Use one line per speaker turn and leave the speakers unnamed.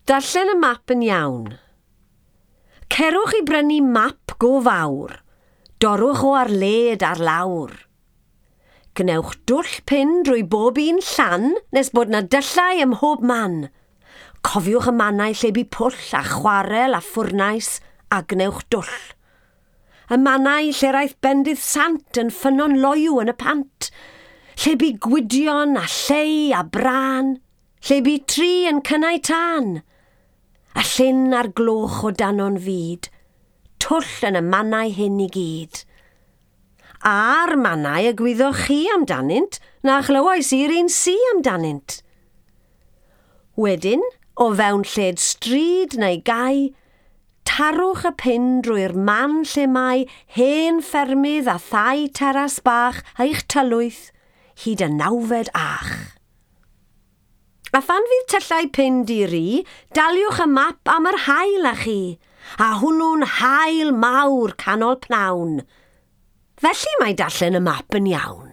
Darllen y map yn iawn. Cerwch i brynu map go fawr. Dorwch o ar led ar lawr. Gwnewch dwll pin drwy bob un llan nes bod 'na dyllau ym mhob man. Cofiwch y mannau lle bu pwll a chwarel a ffwrnais a gwnewch dwll. Y mannau lle'r aeth bendith sant yn ffynnon loyw yn y pant. Lle bu Gwydion a Lleu a Brân. Lle bu tri yn cynnau tân. Y llyn a'r gloch o dano'n fud. Twll yn y mannau hyn i gyd. A'r mannau y gwyddoch chi amdanynt, na chlywais i'r un si amdanynt. Wedyn, o fewn lled stryd neu gae, tarwch y pin drwy'r man lle mae hen ffermydd a thai teras bach eich tylwyth, hyd y nawfed ach. A phan fydd tyllau pin di-ri, daliwch y map am yr haul â chi, a hwnnw'n haul mawr canol pnawn. Felly mae darllen y map yn iawn.